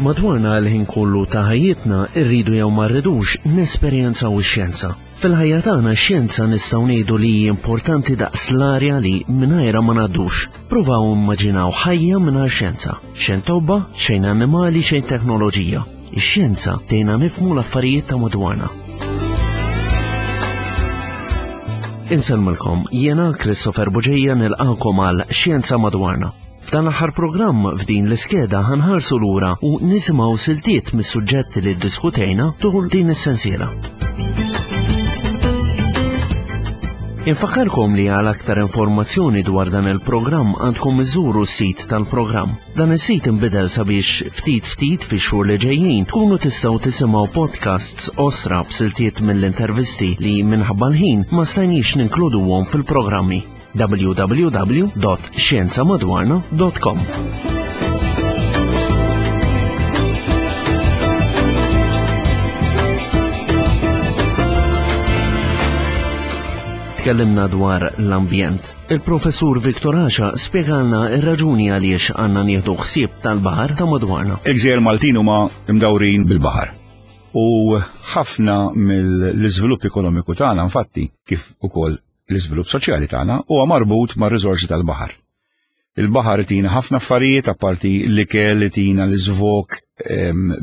Madwarna l-ħin kollu ta' ħajjitna rridu jew ma rridux nesperjenzaw ix-xjenza. Fil-ħajja tagħna x-xjenza nistgħu ngħidu li hi importanti daqs l-arja li mingħajrha ma ngħaddux. Pruvaw immaġinaw ħajja mingħajr xjenza. Xejn tobba, xejn annimali, xejn teknoloġija. Ix-xjenza tgħinna nifhmu l-affarijiet ta' madwarna. Insellmilkom, jiena Christopher Buġeja nilqakom għal Xjenza Madwarna. F'dan l-aħħar programm f'din l-iskeda ħanħarsu lura u nisimgħu siltiet mis-suġġetti li ddiskutejna tul din is-sensiela. Infakkarkom li għal aktar informazzjoni dwar dan il-programm għandkom iżuru s-sit tal-programm. Dan is-sit inbidel sabiex ftit ftit fix-xhur li ġejjin tkunu tistgħu tisimgħu podcasts osra b'siltiet mill-intervisti li minħabba l-ħin ma stajniex ninkluduhom fil-programmi. www.xjenzamadwarna.com Tkellimna dwar l-ambjent. Il-Professur Victor Asha spjegalna r-raġuni għaliex għandna nieħdu ħsieb tal-baħar ta' madwarna. Il-gżejjer Maltin huma mdawrin bil-baħar. U ħafna mill-iżvilupp ekonomiku tagħna infatti kif ukoll L-iżvilupp soċjali tagħna huwa marbut mar-riżorsi tal-baħar. Il-baħar itina ħafna affarijiet apparti l-ikel itina l-iżvok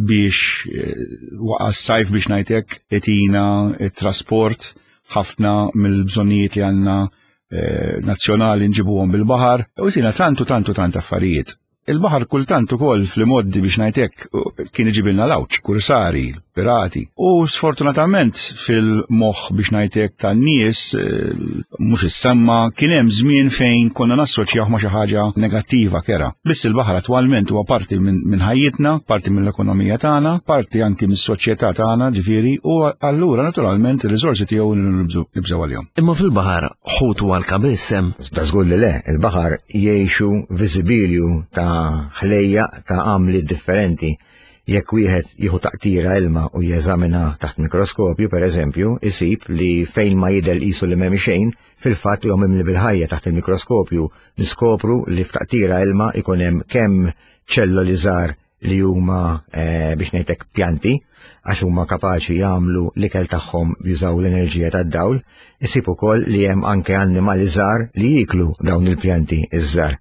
biex eh, waqa s-sajf biex ngħidlek itina t-trasport ħafna mill-bżonnijiet li għandna eh, nazzjonali nġibuhom bil-baħar u itina tantu tantu tant affarijiet. Il-baħar kultant ukoll fl-imoddi biex ngħid hekk kien iġibilna l-għawġ, kursari, pirati. U sfortunatament fil-moħħ biex ngħid hekk tan-nies eh, mhux issemma kien hemm żmien fejn konna nassoċjaw ma' xi ħaġa negattiva kera. Biss il-baħar attwalment huwa parti minn ħajjitna, parti mill-ekonomija tagħna, parti anki mis-soċjetà tagħna, ġifieri, u allura naturalment ir-riżorsi tiegħu nibżgħu għalihom. Imma fil-baħar ħut u għalka biss hemm. Da żgur li le, il-baħar jgħixu viżibilju ta' ħlejjaq ta' għamliet differenti. Jekk wieħed jieħu taqtira ilma u jeżamina taħt mikroskopju, per eżempju, isib li fejn ma jidher qisu li m'hemm xejn, fil-fatt huwa mimli bil-ħajja taħt il-mikroskopju niskopru li f'taqtira ilma ikun hemm kemm ċelloli żgħar li huma eh, biex ngħidlek pjanti għax huma kapaċi jagħmlu l-ikel tagħhom jużaw l-enerġija tad-dawl, isib ukoll li hemm anke annimali żgħar li jieklu dawn il-pjanti iż-żgħar.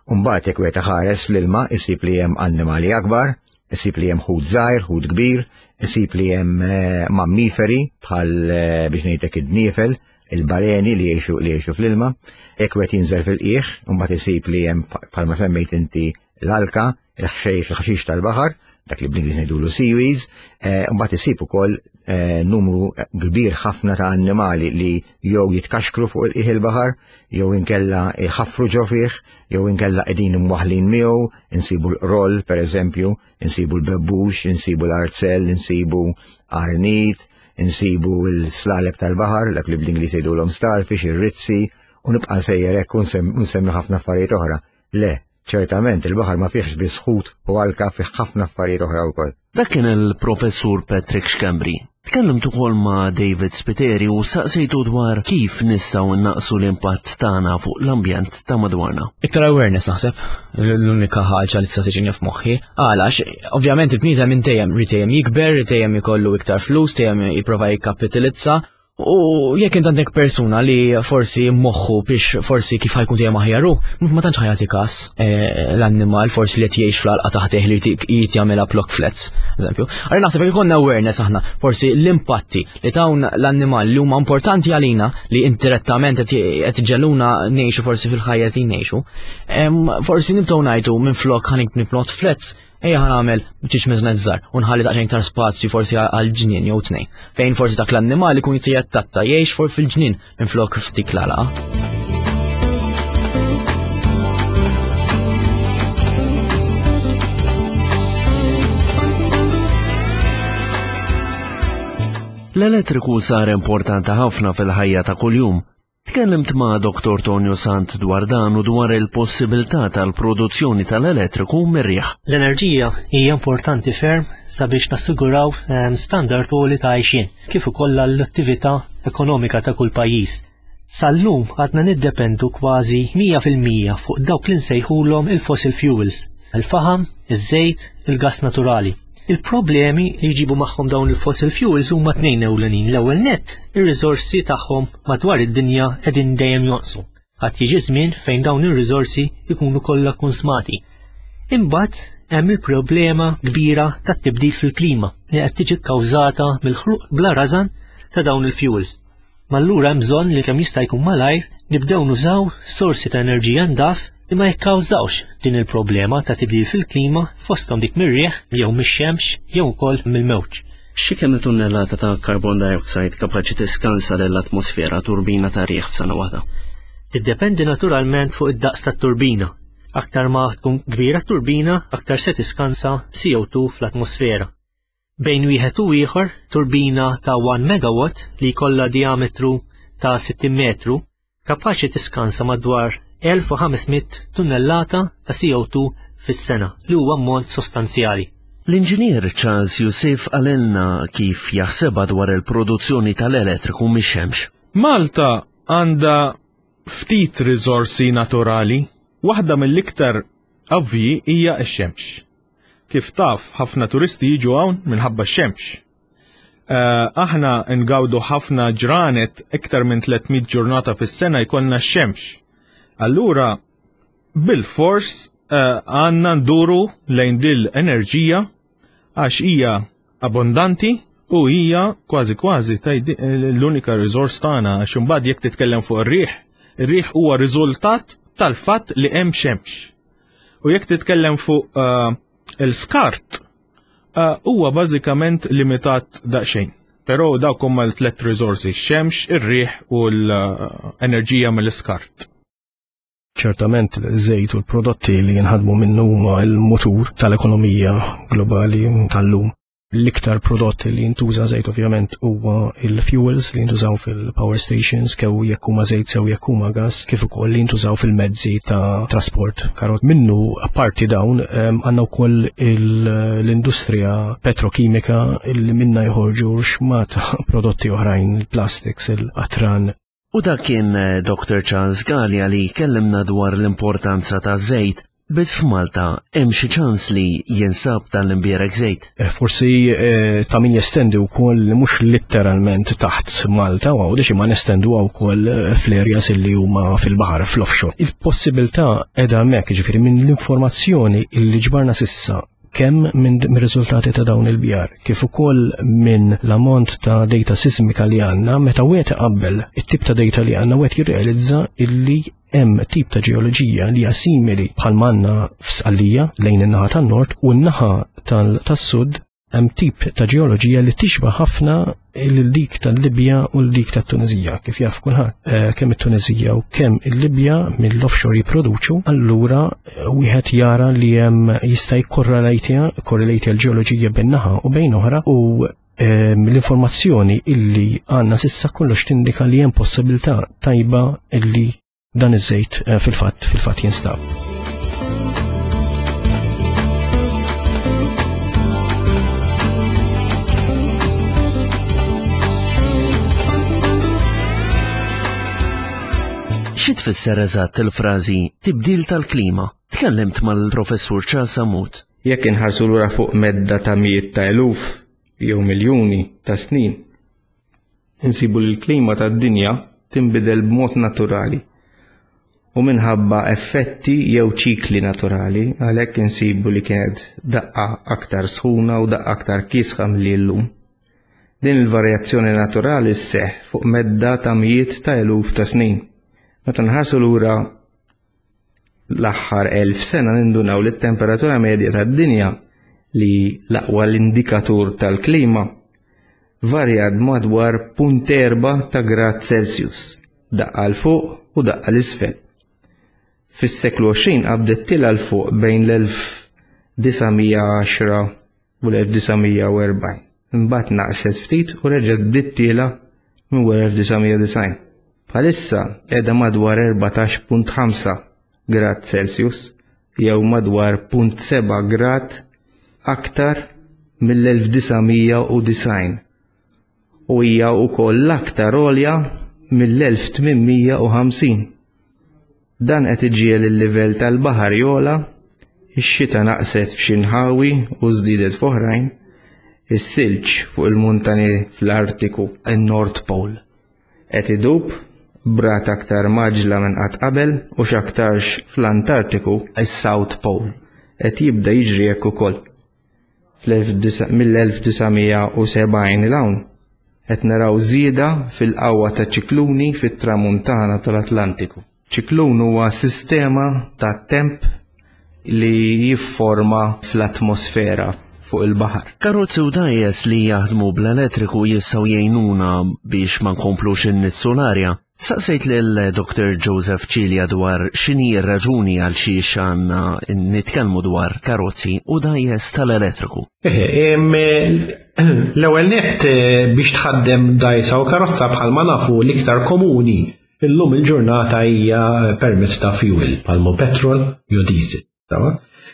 Umbagħad jekk wieħed iħares l-ilma isib li hemm annimali akbar, isib li hemm ħut żgħir, ħut kbir, isib li hemm eh, mammiferi bħal eh, biex ngħidlek id-dniefel, il-baleni li jgħixu li jgħixu fl-ilma, jekk wieħed jinżel fil-qiegħ, imbagħad isib li hemm bħalma semmejt inti l-alka, il-ħxejx, il-ħaxix tal-baħar, dak li bl-Ingliż ngħidulu seaweeds, eh, mbagħad isib ukoll eh, numru kbir ħafna ta' annimali li jew jitkaxkru fuq il-qiegħ il-baħar, jew inkella jħaffru ġo fih, jew inkella qegħdin imwaħlin miegħu, insibu l-qroll pereżempju, insibu l-bebbux, insibu l-arzell, insibu arnit, insibu l-slaleb tal-baħar, dak li bl-Ingliż jgħidulhom starfish, ir-rizzi, u nibqa' nsejjer hekk u nsemmi ħafna affarijiet oħra. Le, Ċertament, il-baħar ma fihx biss ħut u alka fih ħafna affarijiet oħra wkoll. Dak kien il-Professur Patrick Schembri. Tkellimt ukoll ma' David Spiteri u saqsejtu dwar kif nistgħu nnaqqsu l-impatt tagħna fuq l-ambjent ta' madwarna. Iktar awareness naħseb, l-unika ħaġa li tista' tiġini f'moħħi. Għalax, ovvjament il-bniedem minn dejjem rid dejjem jikber, rid dejjem ikollu iktar flus, dejjem jipprova jikkapitalizza U jekk int għandek persuna li forsi moħħu biex forsi kif ħajkun dejjem aħjaru, ma tantx ħajati kas eh, l-annimal forsi li qed jgħix fl-alqa taħt li jrid jagħmilha block flats, eżempju. Għarri naħseb jekk ikollna awareness aħna forsi l-impatti li tawn l-annimal li huma importanti għalina li indirettament qed iġelluna ngħixu forsi fil-ħajja li ngħixu, forsi nibdew ngħidu minflok ħanik plot flats Ejja ħa nagħmel ċiċ miżnet żgħar u nħalli daqsxejn iktar spazju forsi għal ġnien jew tnejn. Fejn forsi dak l-annimal ikun jista' jattatta jgħix for fil-ġnien minflok f'dik l-għalaqa. L-elettriku sar importanti ħafna fil-ħajja ta' kuljum. Tkellimt ma' Dr. Tonio Sant dwar dan u dwar il-possibilità tal-produzzjoni tal-elettriku mir-riħ. L-enerġija hija importanti ferm sabiex nassiguraw ehm, standard għoli ta' għajxien, kif ukoll l-attività ekonomika ta' kull pajjiż. Sal-lum għadna niddependu kważi 100% fuq dawk li nsejħulhom il-fossil fuels. Il-faħam, iż-żejt, il-gass naturali. Il-problemi li jġibu magħhom dawn il-fossil fuels huma tnejn ewlenin. L-ewwel nett, ir-riżorsi tagħhom madwar id-dinja qegħdin dejjem jonqsu. Għad jiġi żmien fejn dawn ir-riżorsi jkunu kollha konsmati. Imbagħad hemm il-problema kbira tat-tibdil fil-klima li qed tiġi kkawżata mill-ħruq bla rażan ta' dawn il-fuels. Ma allura hemm bżonn li kemm jista' jkun malajr nibdew nużaw sorsi ta' enerġija ndaf li ma jikkawżawx din il-problema ta' tibdil fil-klima fosthom dik mir-riħ jew mix-xemx jew ukoll mill-mewġ. Xi kemm tunnellata ta' carbon dioxide kapaċi tiskansa lill-atmosfera turbina ta' riħ f'sena waħda? Tiddependi naturalment fuq id-daqs tat-turbina. Aktar ma tkun kbira t-turbina, aktar se tiskansa CO2 fl-atmosfera. Bejn wieħed u ieħor, turbina ta' 1 megawatt li jkollha diametru ta' 60 metru kapaċi tiskansa madwar 1500 tunnellata ta' CO2 fis-sena, li huwa ammont sostanzjali. L-Inġinier Charles Youssef qalilna kif jaħsebha dwar il-produzzjoni tal-elettriku mix-xemx. Malta għandha ftit riżorsi naturali. Waħda mill-iktar ovvji hija x-xemx. Kif taf, ħafna turisti jiġu hawn minħabba x-xemx. Eh, aħna ngawdu ħafna ġranet iktar minn 300 ġurnata fis-sena jkollna x-xemx. Allura, bil-fors eh, għandna nduru lejn dil enerġija għax hija abbondanti u hija kważi kważi l-unika riżors tagħna għax imbagħad jekk titkellem fuq ir-riħ, ir-riħ huwa riżultat tal-fatt li hemm xemx. U jekk titkellem fuq eh, il-skart, eh, huwa bażikament limitat daqsxejn. Però dawk huma l-tlet riżorsi, x-xemx, ir-riħ u l-enerġija mill-iskart. Ċertament żejt u l-prodotti li jinħadmu minnu huma l-mutur tal-ekonomija globali tal-lum. L-iktar prodott li jintuża żejt ovvjament huwa il-fuels li jintużaw fil-power stations kew jekk huma żejt sew jekk huma gas kif ukoll li jintużaw fil-mezzi ta' trasport. Karot minnu apparti dawn għandna wkoll l-industrija petrokimika li minna jħorġu xmat prodotti oħrajn, il-plastics, il-qatran. U dak kien eh, Dr. Charles Galea li kellimna dwar l-importanza ta' żejt. Biss f'Malta hemm xi ċans li jinsab dan l-imbierek żejt. Eh, forsi eh, ta' min jestendi wkoll mhux litteralment taħt Malta u għawdex imma nestendu wkoll fl-areas li huma fil-baħar fl-offshore. Il-possibilità qiegħda hemmhekk, jiġifieri minn l-informazzjoni li ġbarna sissa kemm minn riżultati ta' dawn il-bjar, kif ukoll minn l-ammont ta' data sismika li għandna, meta wieħed iqabbel it-tip ta' data li għandna wieħed jirrealizza illi hemm tip ta' ġeoloġija li hija simili bħal manna f'Sqallija lejn in-naħa tan-nord u n-naħa tas-sud hemm tip ta' ġeoloġija li tixba ħafna lil dik tal-Libja u l dik tat-Tunizija. Kif jaf kulħadd, eh, kemm it-Tunizija u kemm il-Libja mill-offshore jipproduċu, allura eh, wieħed jara li hemm jista' jikkorrelatja korrelate l-ġeoloġija bejn naħa u bejn oħra u ehm, l-informazzjoni illi għandna sissa kollox tindika li hemm possibilità tajba illi dan iż-żejt eh, fil-fatt fil-fatt jinstab. Xi tfisser eżatt il-frażi tibdil tal-klima? Tkellimt mal-Professur Charles Sammut. Jekk inħarsu lura fuq medda ta' mijiet ta' eluf jew miljuni ta' snin, Insibu li l-klima tad-dinja tinbidel b'mod naturali u minħabba effetti jew ċikli naturali, għalhekk insibu li kienet daqqa aktar sħuna u daqqa aktar kiesħa milli llum. Din il-varjazzjoni naturali sseħħ fuq medda ta' mijiet ta' eluf ta' snin. Meta nħarsu lura l-aħħar 1000 sena nindunaw li t-temperatura medja tad-dinja li l-aqwa l-indikatur tal-klima varjat madwar punt erba' ta' grad Celsius, daqqa 'l fuq u daqqa 'l isfel. Fis-seklu 20 qabdet tilgħa 'l fuq bejn l-1910 u l-1940. Imbagħad naqset ftit u reġgħet bdiet tiela' minn wara 1990. Bħalissa qiegħda madwar 14.5 grad Celsius jew madwar 0.7 grad aktar mill-1990 u hija wkoll l-aktar għolja mill-1850. Dan qed iġiegħel il-livell tal-baħar jogħla, Ix-xita naqset f'xi nħawi u żdiedet f'oħrajn, is-silġ fuq il-muntani fl-Artiku, in-North Pole, qed idub b'rata aktar mgħaġġla minn qatt qabel u x'aktarx fl-Antartiku, is-South Pole, qed jibda jiġri hekk ukoll. Mill-1970 'l hawn, qed naraw żieda fil-qawwa ta' ċikluni fit-Tramuntana tal-Atlantiku. Ċiklun huwa sistema ta' temp li jifforma fl-atmosfera fuq il-baħar. Karozzi u dgħajjes li jaħdmu bl-elettriku jistgħu jgħinuna biex ma nkomplux innizzu l-arja. Saqsejt lil Dr. Joseph Cilia dwar x'inhi r-raġuni għal xiex għandna nitkellmu dwar karozzi u dgħajjes tal-elettriku. L-ewwel nett eh, biex tħaddem dgħajsa u karozza bħalma nafu l-iktar komuni illum il-ġurnata hija permezz ta' fuel bħalma petrol jew diesel.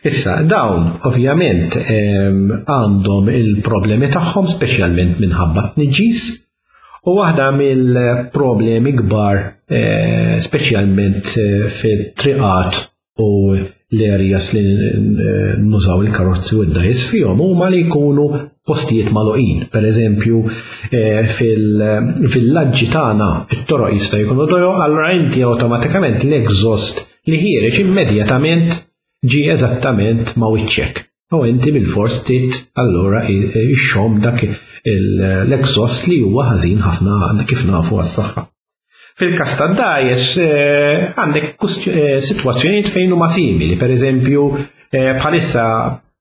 Issa, dawn ovvjament għandhom il-problemi tagħhom speċjalment minħabba tniġġis u waħda mill-problemi kbar eh, speċjalment eh, fit-triqat u l-areas li eh, nużaw il-karozzi u d-dajs fihom huma li jkunu postijiet magħluqin. Per eżempju, fil-villaġġi tagħna it-toroq jista' jkunu dojo, allura inti awtomatikament l-exhaust li ħiereġ immedjatament ġie eżattament ma' wiċċek. U inti bil-fors tit allura ixxomm dak l-exhaust li huwa ħażin ħafna kif nafu għas-saħħa. Fil-kas ta' dajes eh, għandek eh, sitwazzjonijiet fejn huma simili, per eżempju eh, bħalissa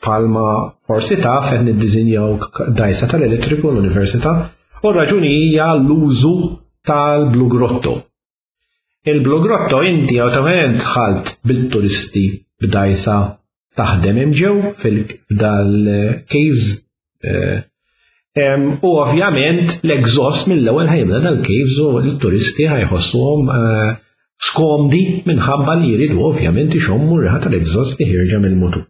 palma forsi taf qed niddiżinjaw dajsa tal-elettriku l-università u r-raġuni hija l-użu tal-Blue Grotto. Il-Blue Grotto inti awtomatikament dħalt bil-turisti b'dajsa taħdem hemm ġew fil-dal-caves eh, u ovvjament l-exhaust mill-ewwel ħajbda dal-caves u l-turisti ħajħossuhom eh, skomdi minħabba li jridu ovvjament ixommu r-riħa tal-exhaust li ħirġa mill-mutur.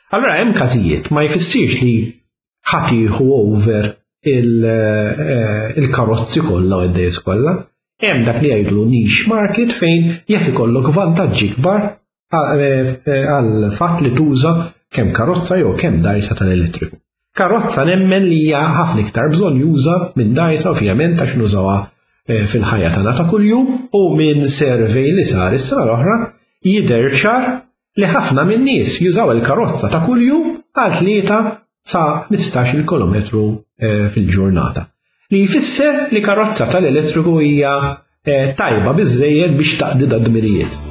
Allura hemm każijiet ma jfissirx li ħadd jieħu over eh, il-karozzi kollha u d-dejs kollha. Hemm dak li jgħidlu niche market fejn jaf ikollok vantaġġi kbar eh, eh, għal fatt li tuża kemm karozza jew kemm dajsa tal-elettriku. Karozza nemmen li hija ħafna iktar bżonn juża minn dajsa ovvjament għax nużawha fil-ħajja tagħna ta' kuljum u minn survey li sar is-sena l-oħra jidher ċar li ħafna min-nies jużaw il-karozza ta' kuljum għal 3 sa 15-il kilometru eh, fil-ġurnata. Li jfisser li karozza tal-elettriku hija eh, tajba biżżejjed biex taqdi dad-dmirijiet.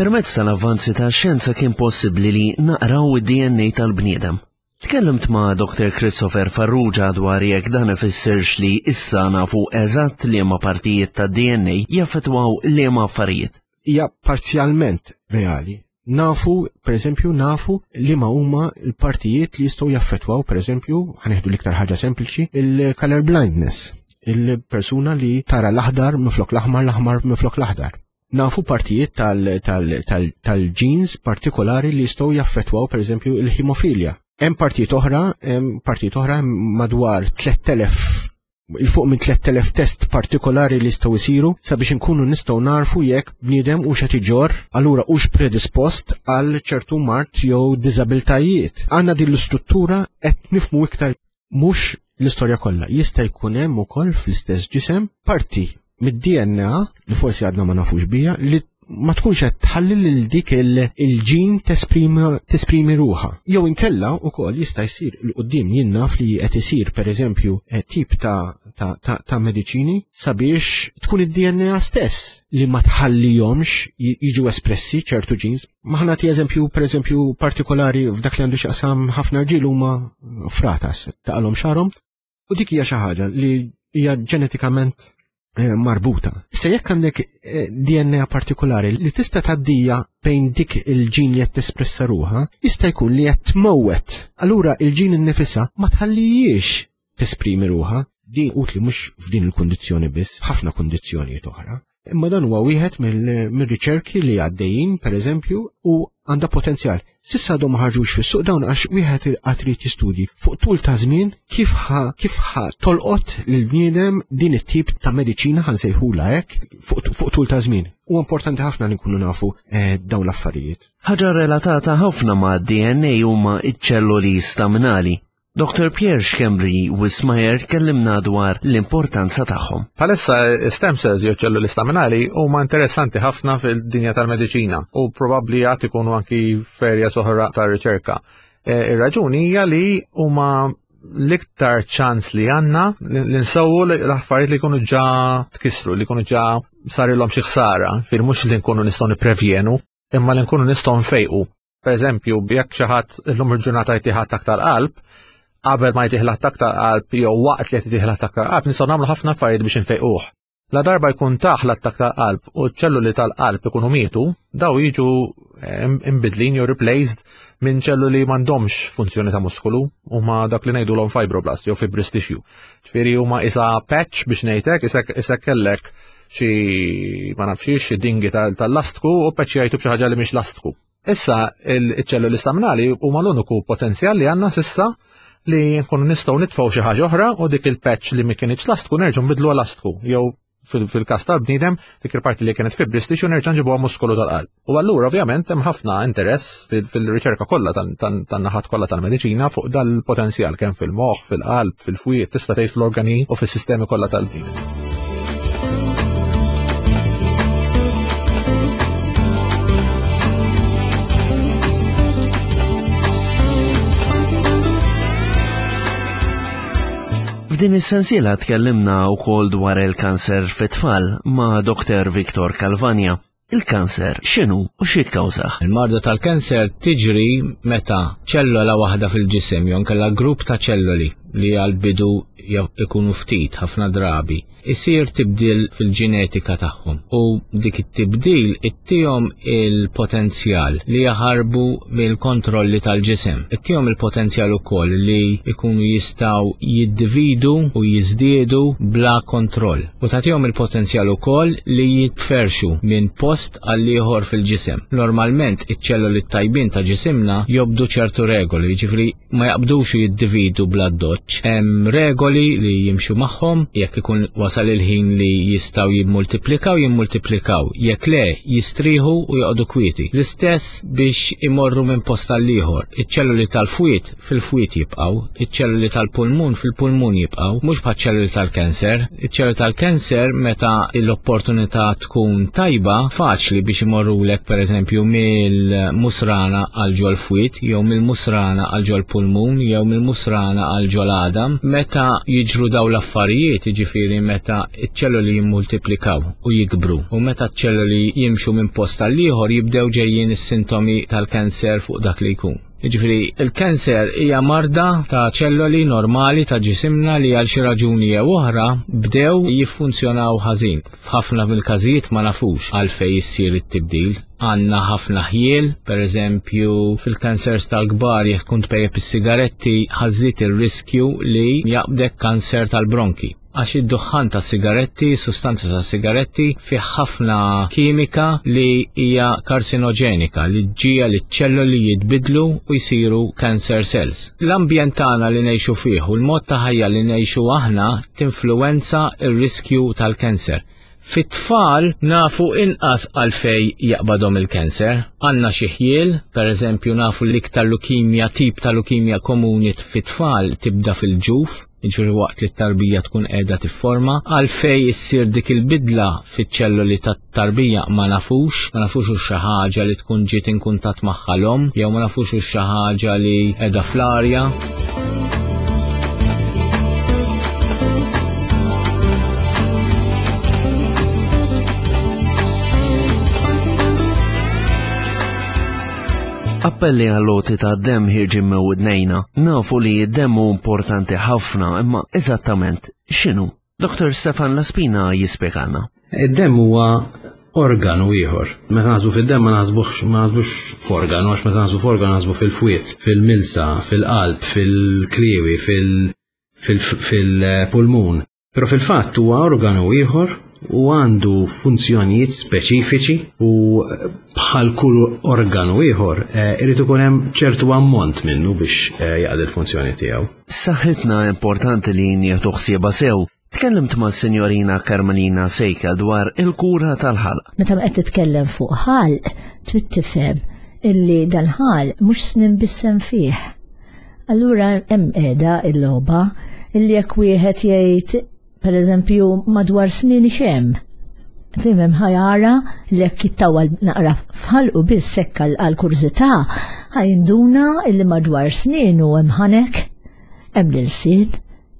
Permezz tal-avvanzi tax-xjenza kien possibbli li naqraw id-DNA tal-bniedem. Tkellimt ma' Dr. Christopher Farrugia dwar jekk dan ifissirx li issa nafu eżatt liema partijiet tad-DNA jaffettwaw liema affarijiet. Hija parzjalment reali. Nafu, per eżempju, nafu liema huma l-partijiet li jistgħu jaffettwaw, per eżempju, ħanieħdu l-iktar ħaġa sempliċi, il-color blindness, il-persuna li tara l-aħdar minflok l-aħmar, l-aħmar minflok l-aħdar. Nafu partijiet tal-genes partikolari li jistgħu jaffettwaw pereżempju il-ħimofilja. Hemm partijiet oħra, hemm partijiet oħra madwar 3000 il fuq minn 3000 test partikolari li jistgħu jsiru sabiex inkunu nistgħu narfu jekk bniedem hux qed iġorr allura hux predispost għal ċertu mard jew diżabiltajiet. Għandna din l-istruttura qed nifhmu iktar mhux l-istorja kollha. Jista' jkun hemm ukoll fl-istess ġisem parti mid-DNA li forsi għadna ma nafux bija li ma tkunx qed tħalli lil dik il-ġin tesprimi ruħha. Jew inkella wkoll jista' jsir il quddiem jien naf li qed isir pereżempju eh, tip ta' ta', ta, ta mediċini sabiex tkun id-DNA stess li ma tħallihomx jiġu espressi ċertu ġins Ma ħa nagħti eżempju, per eżempju, partikolari f'dak li għandu x'jaqsam ħafna rġiel huma fratas, taqalhom xarhom, u dik hija xi ħaġa li hija ġenetikament eh, marbuta. Se jekk għandek eh, DNA partikolari li tista' tgħaddija bejn dik il-ġin li qed tespressa ruha, jista' jkun li qed tmewwet. Allura il-ġin innifisha ma tħallijiex tesprimi ruha. Din utli mhux f'din il-kundizzjoni biss, ħafna kundizzjonijiet oħra. Imma dan huwa wieħed mill-riċerki li għaddejjin, pereżempju, u għandha potenzjal. Sissa għadhom ma ħarġux fis-suq dawn għax wieħed qatt irid jistudji fuq tul ta' żmien kif ħa kif ħa tolqot lill-bniedem din it-tip ta' mediċina ħa nsejħulha hekk fuq tul ta' żmien. Huwa importanti ħafna li nkunu nafu eh, dawn l-affarijiet. Ħaġa relatata ħafna ma' DNA huma iċ-ċelloli staminali. Dr. Pierre Schembri Wismayer kellimna dwar l-importanza tagħhom. Palissa stem cells jew ċelluli staminali huma interessanti ħafna fil-dinja tal-mediċina u probabbli għad ikunu anki ferja soħra tar-riċerka. E, ir-raġuni hija li huma l-iktar ċans li għanna li nsewwu l-affarijiet li jkunu ġa tkissru, li jkunu ġa sarilhom xi ħsara, fil mhux li nkunu nistgħu nipprevjenu, imma li nkunu nistgħu nfejqu. Per eżempju, jekk xi ħadd illum il-ġurnata jtih attakk tal-qalb, qabel ma jtih l-attakk tal-qalb jew waqt li qed jtih l-attakk tal-qalb nistgħu nagħmlu ħafna affarijiet biex infejquh. La darba jkun taħ l-attakk tal-qalb u ċ-ċelluli tal-qalb ikunu mietu, daw jiġu eh, imbidlin jew replaced minn ċelluli m'għandhomx funzjoni ta' muskolu, huma dak li ngħidulhom fibroblast jew fibrous tissue. Ġifieri huma isa patch biex ngħidlek, isek kellek xi ma nafx xi dingi tal-lastku u patch jgħidu b'xi ħaġa li mhix lastku. Issa il-ċelluli staminali huma l-uniku potenzjal li għandna sissa li nkunu nistgħu nitfgħu xi ħaġa oħra u dik il-patch li ma kienx lastku nerġgħu nbidlu lastku jew fil-każ tal-bniedem dik il-parti li kienet fibrous tissue nerġa' nġibuha muskolu tal-qalb. U allura ovvjament hemm ħafna interess fil-riċerka kollha tan-naħat kollha tal-mediċina fuq dal-potenzjal kemm fil-moħħ, fil-qalb, fil-fwied, tista' tgħid fl-organi u fis-sistemi kollha tal-bniedem. F'din is-sensiela tkellimna wkoll dwar il-kanser fit-tfal ma' Dr. Victor Calvagna. Il-kanser x'inhu u x'jikkawżah? Il-marda tal-kanser tiġri meta ċellola waħda fil-ġisem jew inkella grupp ta' ċelloli li għall-bidu ikunu ftit ħafna drabi, isir tibdil fil-ġenetika tagħhom u dik it-tibdil ittihom il-potenzjal li jaħarbu mill-kontrolli tal-ġisem. Ittihom il-potenzjal ukoll li jkunu jistgħu jiddividu u jiżdiedu bla kontroll. U tagħtihom il-potenzjal ukoll li jitferrxu minn post għal ieħor fil-ġisem. Normalment iċ-ċelloli t-tajbin ta' ġisimna jobdu ċertu regoli, jiġifieri ma jaqbdux u jiddividu bl-addoċċ. Hemm regoli li jimxu magħhom, jekk ikun wasal il-ħin li jistgħu jimmultiplikaw, jimmultiplikaw, jekk le, jistrieħu u joqogħdu kwieti. L-istess biex imorru minn post għal ieħor. Iċ-ċelloli tal-fwied fil-fwied jibqgħu, iċ-ċelluli tal-pulmun fil-pulmun jibqgħu, mhux bħaċ-ċelluli tal-kanser. Iċ-ċelluli tal-kanser meta l-opportunità tkun tajba, faċli biex imorrulek pereżempju mill-musrana għal ġol-fwied jew mill-musrana għal ġol-pulmun jew mill-musrana għal ġol-għadam. Meta jiġru dawn l-affarijiet, jiġifieri meta ċ-ċelluli jimmultiplikaw u jikbru u meta ċ-ċelluli jimxu minn post għal ieħor jibdew ġejjin is-sintomi tal-kanser fuq dak li jkun. Jiġifieri, il-kanser hija marda ta' ċelloli normali ta' ġisimna li għal xi raġuni jew oħra bdew jiffunzjonaw ħażin. F'ħafna mill-każijiet ma nafux għalfejn issir it-tibdil. Għandna ħafna ħjiel, pereżempju fil-kansers tal-kbar jekk tkun tpejjep is-sigaretti ħażżid ir-riskju li jaqbdek kanser tal-bronki. Għax id-duħħan tas-sigaretti, sustanza tas-sigaretti, fih ħafna kimika li hija karsinoġenika li ġġiegħel iċ-ċelloli jitbiddlu u jsiru cancer cells. L-ambjent tagħna li ngħixu fih u l-mod ta' ħajja li ngħixu aħna tinfluwenza r-riskju tal-cancer. Fit-tfal nafu inqas għalfejn jaqbadhom il-cancer. Għandna xi ħjiel, pereżempju nafu l-iktar lukimja tip ta' lukimja komuni fit-tfal tibda fil-ġuf, jiġifieri waqt li t-tarbija tkun qiegħda tifforma. Għalfejn issir dik il-bidla fiċ-ċelloli tat-tarbija ma nafux, ma nafux hux xi ħaġa li tkun ġiet in kuntatt magħha l-omm jew ma nafux hux xi ħaġa li qiegħda fl-arja. Appelli għall-għoti ta' demm ħirġin minn widnejna. Nafu li d-demm hu importanti ħafna, imma eżattament x'inhu? Dr. Stefan Laspina jispjegalna. Id-demm huwa organu ieħor. Meta naħsbu fid-demm ma naħsbux ma naħsbux f'organu għax meta naħsbu f'organu naħsbu fil-fwied, fil-milsa, fil-qalb, fil-kliewi, fil-pulmun. Però fil-fatt huwa organu ieħor u għandu funzjonijiet speċifiċi u eh, bħal kull organu ieħor eh, irid ikun hemm ċertu ammont minnu biex eh, jaqdi l-funzjoni tiegħu. Saħħitna importanti li nieħdu ħsiebha sew. Tkellimt ma' Sinjorina Carmelina Sejka dwar il-kura tal-ħalq. Meta qed titkellem fuq ħalq, trid tifhem illi dal-ħalq mhux snin bissem fih. Allura hemm qiegħda il-logħba illi jekk wieħed jgħid Per eżempju, madwar snin xem. Fimem ħajara li jekk jittawal naqra fħalqu biss sekk għal kurżità ħajnduna illi madwar snin u hemm ħanek, hemm l-ilsien,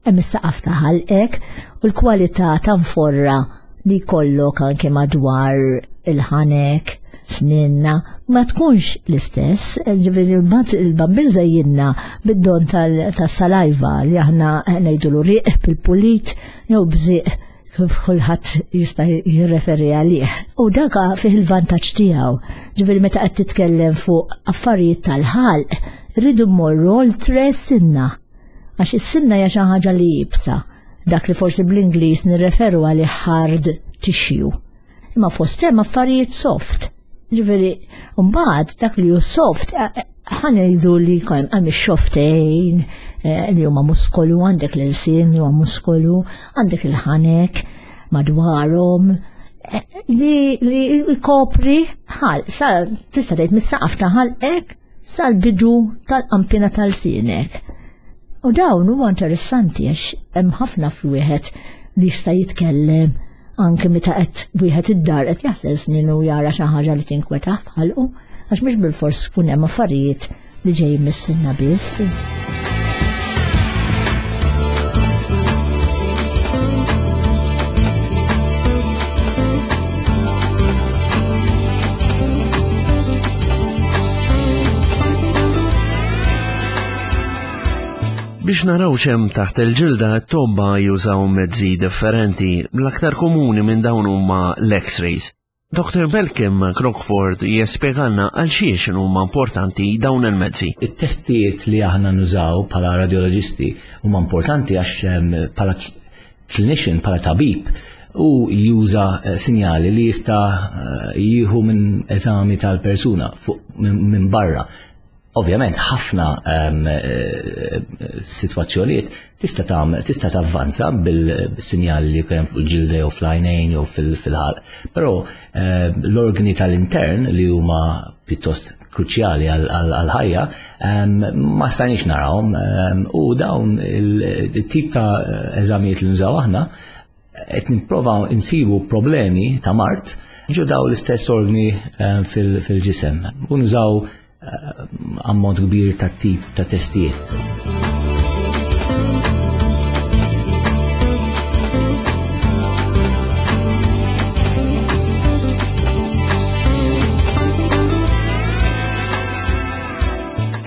hemm is-saqaf ta' ħalqek u l-kwalità ta' nforra li jkollok anke madwar il-ħanek, sninna, ma tkunx l-istess, ġifieri mbagħad il-bambin żejjinna bid-don tas-salajva li aħna ngħidulu riq bil-pulit jew bżieq kif kulħadd jista' jirreferi għalih. U dak fih il-vantaġġ tiegħu. Ġifieri meta qed titkellem fuq affarijiet tal-ħalq, rridu mmorru oltre s-sinna. Għax is-sinna hija xi ħaġa li jibsa. Dak li forsi bl-Ingliż nirreferu għalih hard tissue. Imma fost hemm affarijiet soft. Ġifieri, mbagħad dak li hu soft eh, eh, ħanejdu li jkun hemm ix-xoftejn eh, li huma muskolu, għandek l-ilsien li huwa muskolu, għandek il-ħanek madwarhom li li jkopri ħal, sa tista' tgħid mis-saqaf ta' ħalqek sal-bidu tal-qampina tal-sinek. U dawn huwa interessanti għax hemm ħafna f'wieħed li jista' jitkellem anke meta qed wieħed id-dar qed jaħsel snin u jara xi ħaġa li tinkwetah f'ħalqu għax mhux bilfors tkun hemm affarijiet li ġejjin mis-sinna biss. Biex naraw x'hemm taħt il-ġilda, t-tobba jużaw mezzi differenti. L-aktar komuni minn dawn huma l-X-rays. Dr. Malcolm Crockford jespjegalna għal xiex huma importanti dawn il-mezzi. It-testijiet li aħna nużaw bħala radioloġisti huma importanti għax ehm, bħala clinician, bħala tabib, u juża eh, sinjali li jista' eh, jieħu minn eżami tal-persuna minn barra. Ovvjament ħafna ehm, eh, sitwazzjonijiet tista' tagħmel tista' tavvanza bil-sinjali li jkun fuq il-ġilda jew fl-għajnejn jew fil-ħalq. Però ehm, l-organi tal-intern li huma pjuttost kruċjali għal-ħajja ehm, ma stajniex narawhom u dawn il-tip ta' eżamijiet li nużaw aħna qed nipprovaw insibu problemi ta' mart ġo daw l-istess organi fil-ġisem u nużaw ammont kbir ta' tip ta' testijiet.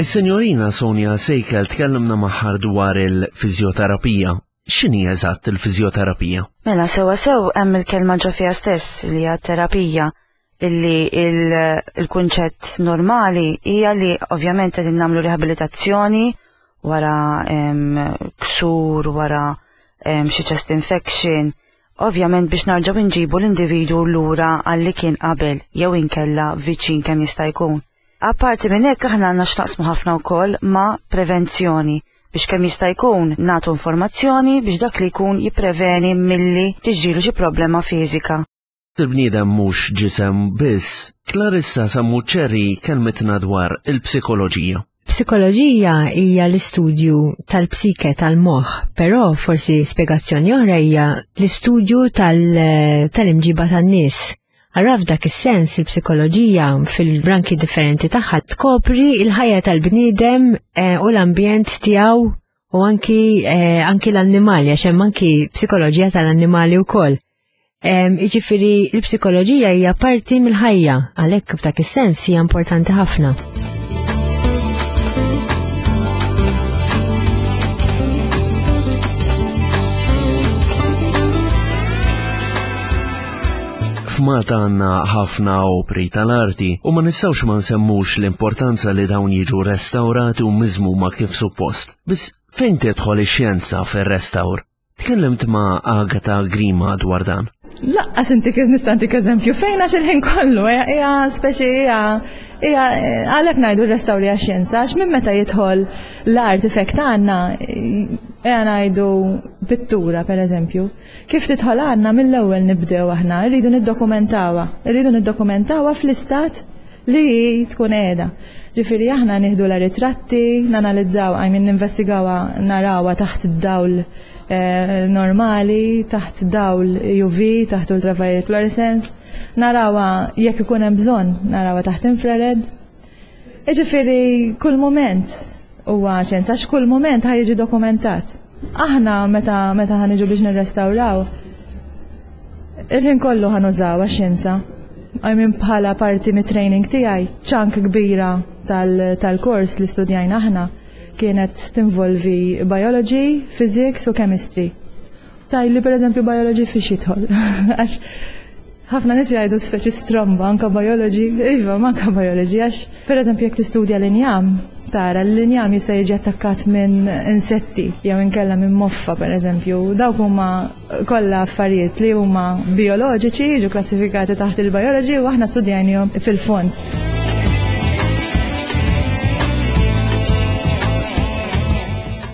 Is-Sinjorina Sonja Sejkel tkellimna magħha dwar il-fiżjoterapija. X'inhi eżatt il-fiżjoterapija? Mela sewwa sew hemm il-kelma ġo fiha stess li hija terapija illi il-kunċett normali hija li ovvjament qegħdin nagħmlu riabilitazzjoni wara ksur, wara xi chest infection, ovvjament biex narġgħu nġibu l-individwu lura għal li kien qabel jew inkella viċin kemm jista' jkun. Apparti minn hekk aħna għandna x'naqsmu ħafna wkoll ma' prevenzjoni biex kemm jista' jkun nagħtu informazzjoni biex dak li jkun jippreveni milli tiġrilu xi problema fiżika. Il-bniedem mhux ġisem biss. Clarissa Sammuceri kelmitna dwar il-psikoloġija. Psikoloġija hija l-istudju tal-psike tal-moħħ, però forsi spjegazzjoni oħra hija l-istudju tal-imġiba tan-nies. Allura f'dak is-sens il-psikoloġija fil-branki differenti tagħha tkopri l-ħajja tal-bniedem eh, u l-ambjent tiegħu u anki eh, anki l-annimali għax hemm anki psikoloġija tal-annimali wkoll. Jiġifieri l-psikoloġija hija parti mill-ħajja, għalhekk f'dak is-sens hija importanti ħafna. F'Malta għandna ħafna opri tal-arti u ma nistgħux ma nsemmux l-importanza li dawn jiġu restawrati u miżmuma kif suppost. Biss fejn tidħol ix-xjenza fir-restawr? Tkellimt ma' Agata Grima dwar dan. Laqqas inti kif nista' ntik eżempju fejn għax il-ħin kollu hija speċi hija hija għalhekk ngħidu rrestawri għax-xjenza għax minn meta jidħol l-artifact għandna hija ngħidu pittura pereżempju. Kif tidħol għandna mill-ewwel nibdew aħna, rridu niddokumentawha, rridu niddokumentawha fl-istat li hi tkun qiegħda. Ġifieri aħna nieħdu la ritratti, nanalizzaw, I mean ninvestigawha narawha taħt id-dawl eh, normali, taħt dawl UV, taħt ultraviolet fluorescence, narawha jekk ikun hemm bżonn, narawha taħt infrared. Ġifieri kull mument huwa ċens għax kull mument ħa jiġi dokumentat. Aħna meta meta ħaniġu biex nirrestawraw, il-ħin kollu ħanużaw għax-xjenza. I mean bħala parti mit-training tiegħi, ċank kbira tal-kors li studjajna aħna kienet tinvolvi biology, physics u chemistry. Tajli per eżempju biology fiex jidħol. Għax ħafna nies jgħidu speċi stromba anka biology, iva manka biology għax per eżempju jekk tistudja l-injam, tara l-injam jista' jiġi attakkat minn insetti jew inkella minn moffa per eżempju. Dawk huma kollha affarijiet li huma bioloġiċi jiġu klassifikati taħt il-biology u aħna studjajnihom fil-fond.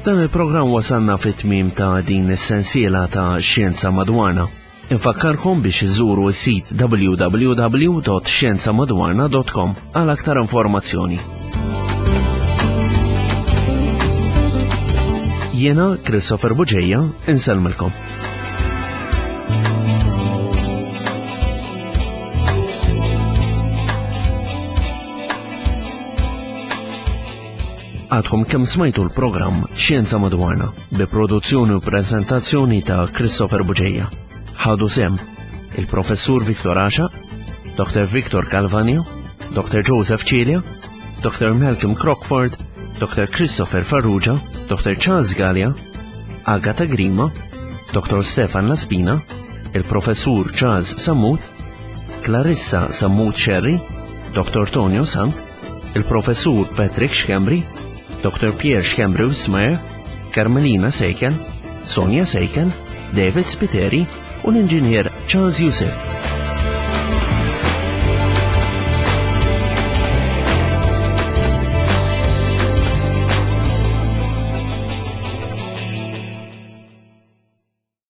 Dan il-programm wasalna fit-tmiem ta' din is-sensiela ta' Xjenza Madwarna. Infakkarkom biex iżuru s-sit www.xjenzamadwarna.com għal aktar informazzjoni. Jiena Christopher Buġeja, insellmilkom. Għadkom kemm smajtu l-programm Xjenza Madwarna bi produzzjoni u prezentazzjoni ta' Christopher Buġeja. Ħadu sem il-Professur Viktor Asha, Dr. Victor Calvanio, Dr. Joseph Cilia, Dr. Malcolm Crockford, Dr. Christopher Farrugia, Dr. Charles Gallia, Agatha Grima, Dr. Stefan Laspina, il-Professur Charles Sammut, Clarissa Sammut Sherry, Dr. Tonio Sant, il-Professur Patrick Schembri, Dr. Pierre Schembri Wismayer, Carmelina Seiken, Sonja Seiken, David Spiteri u l-Inġinier Charles Youssef.